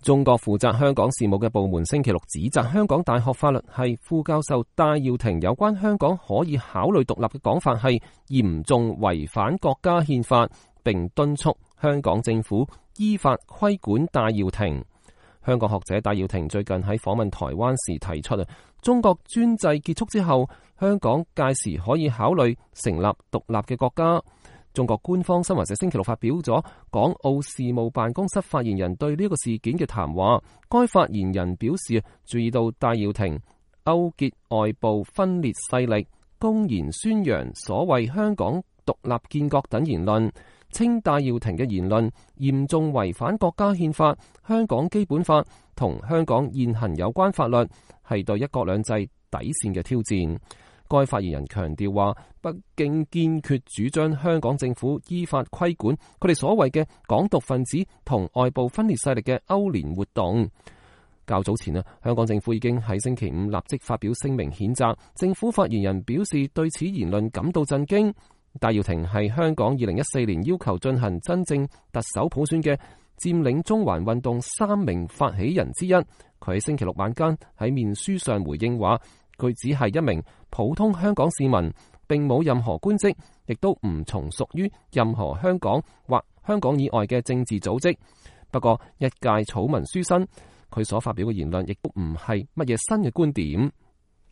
中國負責香港事務嘅部門星期六指責香港大學法律系副教授戴耀廷有關香港可以考慮獨立嘅講法係嚴重違反國家憲法，並敦促香港政府依法規管戴耀廷。香港學者戴耀廷最近喺訪問台灣時提出中國專制結束之後，香港屆時可以考慮成立獨立嘅國家。中國官方新華社星期六發表咗港澳事務辦公室發言人對呢個事件嘅談話，該發言人表示注意到戴耀廷勾結外部分裂勢力，公然宣揚所謂香港獨立建國等言論，稱戴耀廷嘅言論嚴重違反國家憲法、香港基本法同香港現行有關法律，係對一國兩制底線嘅挑戰。該發言人強調話，北京堅決主張香港政府依法規管佢哋所謂嘅港獨分子同外部分裂勢力嘅勾連活動。較早前香港政府已經喺星期五立即發表聲明譴責。政府發言人表示對此言論感到震驚。戴耀廷係香港2014年要求進行真正特首普選嘅佔領中環運動3名發起人之一。佢喺星期六晚間喺面書上回應話，佢只係一名普通香港市民，並冇任何官職，亦都唔從屬於任何香港或香港以外嘅政治組織。不過一介草民書生，佢所發表嘅言論亦都唔係乜嘢新嘅觀點。